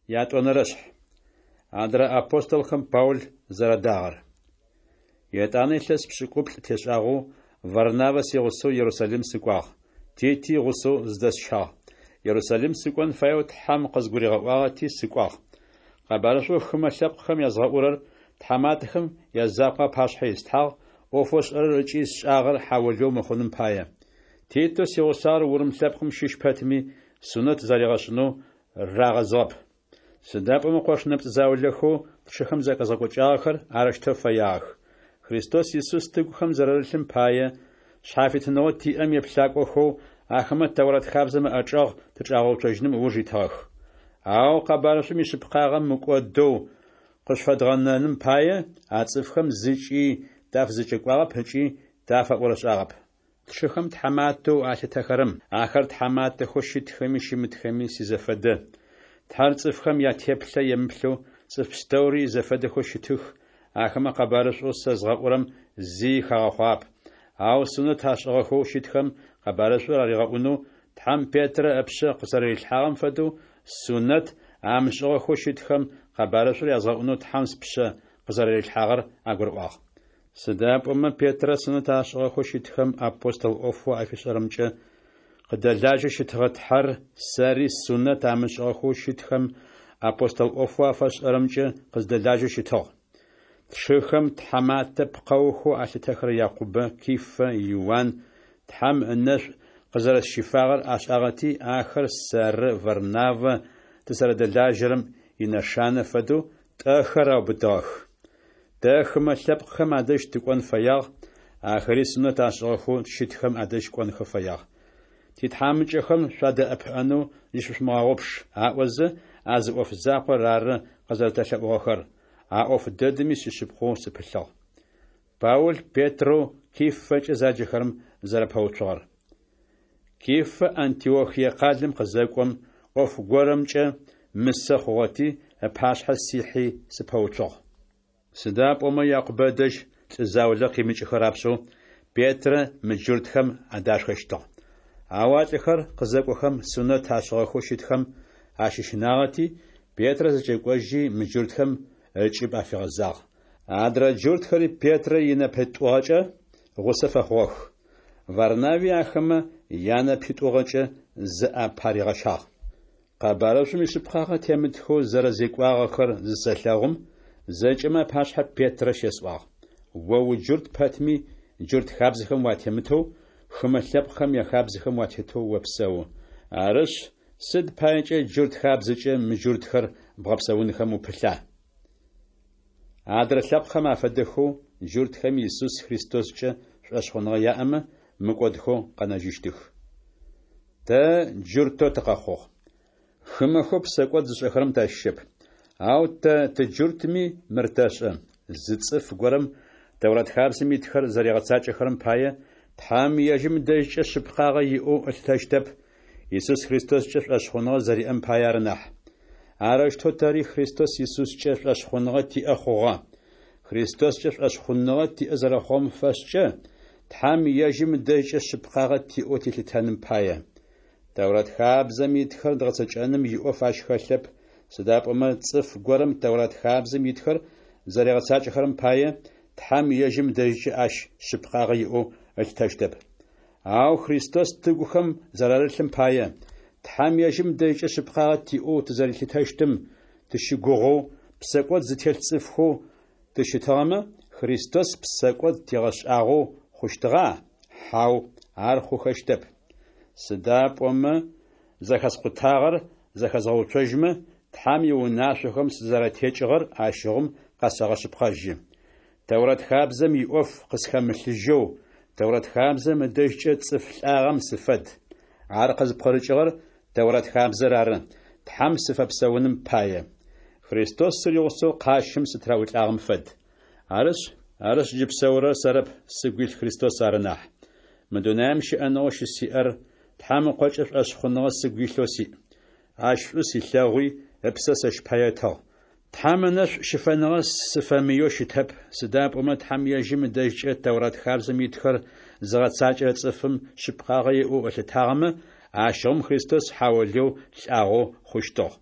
Ятӏонэрэшъхь. Адрэ апостолхэм Паул зэрадагъэр. Етӏанэ илъэс пшӏыкӏуплӏ тешӏагъэу Варнавэ сигъусэу Ерусалим сыкӏуагъ, Тити гъусэу зыдэсщагъ. Ерусалим сыкӏон фаеу Тхьэм къызгуригъэӏуагъэти сыкӏуагъ. Къэбарышӏоу хымэ лъэпкъхэм язгъэӏурэр тхьаматэхэм язакъоу апашъхьэ ислъхьагъ, ӏофэу сшӏэрэр ыкӏи сшӏагъэр хьаолыеу мыхъуным пае. Титэу сигъусагъэр урым лъэпкъым щыщ пэтми, сунэт заригъэшӏынэу рагъэзыгъэп. Сыда пӏомэ къош нэпцӏ заулэхэу тшыхэм захэзгъэкӏокӏагъэхэр арэущтэу фэягъэх. Христос Исус тыгухэм зэрарылъым пае, шъхьафитыныгъэу тиӏэм еплъакӏохэу ахэмэ Тэурат хабзэм ыӏэчӏэгъ тычӏагъэуцожьыным ыуж итыгъэх. Ау къэбарышӏум ишъыпкъагъэ мыкӏодэу къышъуфэдгъэнэным пае, а цӏыфхэм зыкӏи тафызэкӏэкӏуагъэп ыкӏи тафэӏорышӏагъэп. Тшыхэм тхьаматэу алъытэхэрэм, ахэр тхьаматэхэу щытхэми щымытхэми сизэфэдэ, Тхьэр цӏыфхэм ятеплъэ емыплъэу цӏыф пстэури изэфэдэхэу щытых, ахэмэ къэбарышӏоу сэ згъэӏурэм зи хагъэхъуагъэп. Ау сунэт ашӏыгъэхэу щытхэм къэбарышӏур аригъэӏунэу Тхьэм Петрэ ыпшъэ къызэрэрилъхьагъэм фэдэу, сунэт амышӏыгъэхэу щытхэм къэбарышӏур язгъэӏунэу Тхьэм спшъэ къызэрэрилъхьагъэр агурыӏуагъ. Сыда пӏомэ Петрэ сунэт ашӏыгъэхэу щытхэм апостол ӏофэу афишӏэрэмкӏэ къыдэлажьэу щытыгъэ Тхьэр сэри сунэт амышӏыгъэхэу щытхэм апостол ӏофэу афэсшӏэрэмкӏэ къыздэлажьэу щытыгъ. Тшыхэм тхьаматэ пкъэухэу алъытэхэрэ Якъубэ, Кифэ, Иуан Тхьэм ынэшӏу къызэрэсщифагъэр ашӏагъэти, ахэр сэры Варнавэ тызэрэдэлажьэрэм инэшанэ фэдэу тӏэхэр аубытыгъэх. Тэ хымэ лъэпкъхэм адэжь тыкӏон фэягъ, ахэри сунэт ашӏыгъэхэу щытхэм адэжь кӏонхэ фэягъ. Титхьамыкӏэхэм шъуадэӏэпыӏэнэу зыщышъумыгъэгъупш, аӏозэ, а зы ӏоф закъор ары къызэрэтэлъэӏугъэхэр, а ӏоф дэдэми сишъыпкъэу сыпылъыгъ. Паул Петрэу Кифэкӏэ заджэхэрэм зэрапэуцугъэр. Кифэ Антиохие къалэм къызэкӏом, ӏоф горэмкӏэ мысэ хъугъэти, ыпашъхьэ сихьи сыпэуцугъ. Сыда пӏомэ Якъубэ ыдэжь лӏы заулэ къимыкӏыхэ рапшӏэу Петрэ мыджуртхэм адашхэщтыгъ. Ау а лӏыхэр къызэкӏохэм сунэт ашӏыгъэхэу щытхэм ащыщынагъэти, Петрэ зэкӏэкӏожьи, мыджуртхэм ыкӏыб афигъэзагъ. Адрэ джуртхэри Петрэ инэпитӏугъэкӏэ гъусэ фэхъугъэх. Варнави ахэмэ янэпитӏугъэкӏэ зыӏэпаригъэщагъ. Къэбарышӏум ишъыпкъагъэ темытхэу зэрэзекӏуагъэхэр зысэлъэгъум, зэкӏэмэ апашъхьэ Петрэ щесӏуагъ: О уджурт пэтми, джурт хабзэхэм уатемытэу, хымэ лъэпкъхэм яхабзэхэм уатетэу опсэу. Арышъ, сыд паекӏэ джурт хабзэкӏэ мыджуртхэр бгъэпсэунхэм упылъа? Адрэ лъэпкъхэм афэдэхэу, джуртхэми Исус Христоскӏэ шӏошъхъуныгъэ яӏэмэ, мыкӏодхэу къэнэжьыщтых. Тэ джуртэу тыкъэхъугъ. Хымэхэу псэкӏод зышӏэхэрэм тащыщэп. Ау тэ тыджуртми мыр тэшӏэ: зы цӏыф горэм Тэурат хабзэм итхэр зэригъэцакӏэхэрэм пае, Тхьэм ежьым ыдэжькӏэ шъыпкъагъэ иӏэу ылъытэщтэп, Исус Христоскӏэ шӏошъхъуныгъэ зэриӏэм пае ары нахь. Арэущтэу тэри Христос Исускӏэ шӏошъхъуныгъэ тиӏэ хъугъэ. Христоскӏэ шӏошъхъуныгъэ тиӏэ зэрэхъугъэм фэшӏкӏэ, Тхьэм ежьым ыдэжькӏэ шъыпкъагъэ тиӏэу тилъытэным пае. Тэурат хабзэм итхэр дгъэцэкӏэным иӏоф ащ хэлъэп, сыда пӏомэ цӏыф горэм Тэурат хабзэм итхэр зэригъэцакӏэхэрэм пае, Тхьэм ежьым ыдэжькӏэ ащ шъыпкъагъэ иӏэу ылъытэщтэп. Ау Христос тыгухэм зэрарылъым пае, Тхьэм ежьым ыдэжькӏэ шъыпкъагъэ тиӏэу тызэрилъытэщтым тыщыгугъэу, псэкӏод зытелъ цӏыфхэу тыщытыгъэмэ, Христос псэкӏод тигъэшӏагъэу хъущтыгъа? Хьау, ар хъухэщтэп. Сыда пӏомэ зэхэскъутагъэр зэхэзгъэуцожьмэ, Тхьэм иунашъохэм сызэрэтекӏыгъэр ащыгъум къэсэгъэшъыпкъэжьы. Тэурат хабзэм иӏоф къысхэмылъыжьэу, Тэурат хабзэм ыдэжькӏэ цӏыф лӏагъэм сыфэд. Ар къызпкъырыкӏыгъэр Тэурат хабзэр ары, Тхьэм сыфэпсэуным пае. Христос сыригъусэу къащым сытыраӏулӏагъэм фэд. Арышъ, арышъ джы псэурэр сэрэп, сыгу илъ Христос ары нахь. Мы дунаим щыӏэныгъэу щысиӏэр Тхьэм Ыкъокӏэ шӏошъхъуныгъэ сыгу илъэу сиӏ. Ащ шӏу силъэгъуи, ыпсэ сэщ пае ытыгъ. Тхьэм ынэшӏу щыфэныгъэ сыфэмыеу щытэп, сыда пӏомэ Тхьэм ежьым ыдэжькӏэ Тэурат хабзэм итхэр зыгъэцакӏэрэ цӏыфым шъыпкъагъэ иӏэу ылъытагъэмэ, ащыгъум Христос хьаолыеу лӏагъэу хъущтыгъ.